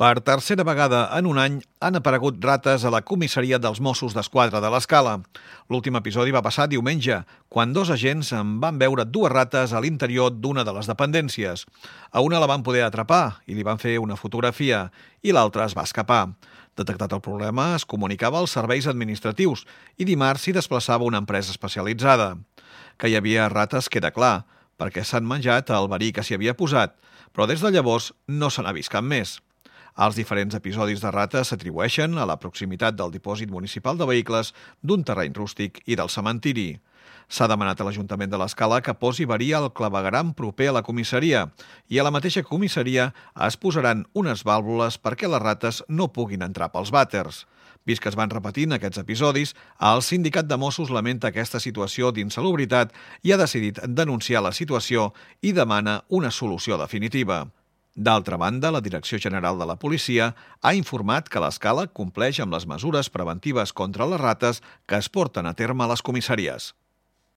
Per tercera vegada en un any han aparegut rates a la comissaria dels Mossos d'Esquadra de l'Escala. L'últim episodi va passar diumenge, quan dos agents en van veure dues rates a l'interior d'una de les dependències. A una la van poder atrapar i li van fer una fotografia, i l'altra es va escapar. Detectat el problema, es comunicava als serveis administratius i dimarts s'hi desplaçava una empresa especialitzada. Que hi havia rates queda clar, perquè s'han menjat el verí que s'hi havia posat, però des de llavors no se n'ha vist cap més. Els diferents episodis de rates s'atribueixen a la proximitat del dipòsit municipal de vehicles, d'un terreny rústic i del cementiri. S'ha demanat a l'Ajuntament de l'Escala que posi verí al clavegueram proper a la comissaria i a la mateixa comissaria es posaran unes vàlvules perquè les rates no puguin entrar pels vàters. Vist que es van repetint aquests episodis, el sindicat de Mossos lamenta aquesta situació d'insalubritat i ha decidit denunciar la situació i demana una solució definitiva. D'altra banda, la Direcció General de la Policia ha informat que l'Escala compleix amb les mesures preventives contra les rates que es porten a terme a les comissaries.